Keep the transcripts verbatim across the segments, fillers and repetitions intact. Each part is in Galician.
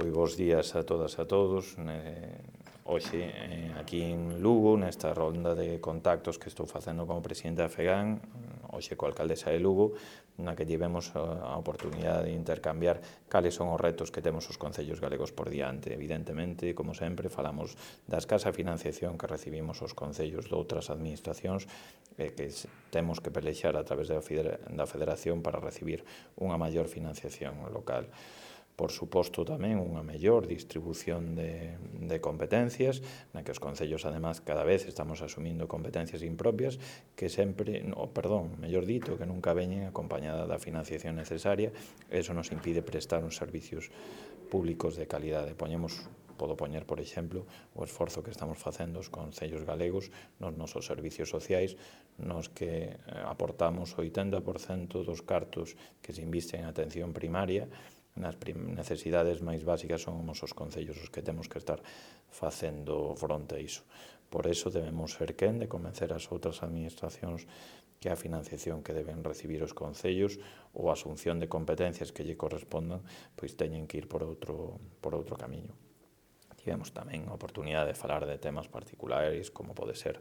Pois bos días a todas e a todos. Hoxe, aquí en Lugo, nesta ronda de contactos que estou facendo como presidente da FEGAN, hoxe coa alcaldesa de Lugo, na que tivemos a oportunidade de intercambiar cales son os retos que temos os concellos galegos por diante. Evidentemente, como sempre, falamos da escasa financiación que recibimos os concellos de outras administracións e que temos que pelexar a través da Federación para recibir unha maior financiación local. Por suposto, tamén unha mellor distribución de, de competencias, na que os concellos, además, cada vez estamos asumindo competencias impropias que sempre, no, perdón, mellor dito, que nunca veñen acompañada da financiación necesaria. Eso nos impide prestar uns servicios públicos de calidade. Poñemos, podo poñer, por exemplo, o esforzo que estamos facendo os concellos galegos nos nosos servicios sociais, nos que aportamos o oitenta por cento dos cartos que se invisten en atención primaria. Nas necesidades máis básicas son os concellos os que temos que estar facendo fronte a iso. Por iso debemos ser quen de convencer as outras administracións que a financiación que deben recibir os concellos ou a asunción de competencias que lle correspondan, pois teñen que ir por outro, por outro camiño. Tivemos tamén a oportunidade de falar de temas particulares, como pode ser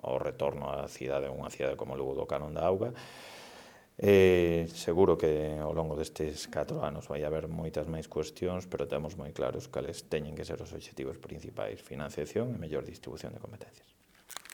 o retorno á cidade, unha cidade como Lugo do Canon da Auga. Eh, seguro que ao longo destes catro anos vai haber moitas máis cuestións, pero temos moi claros cales teñen que ser os obxectivos principais: financiación e mellor distribución de competencias.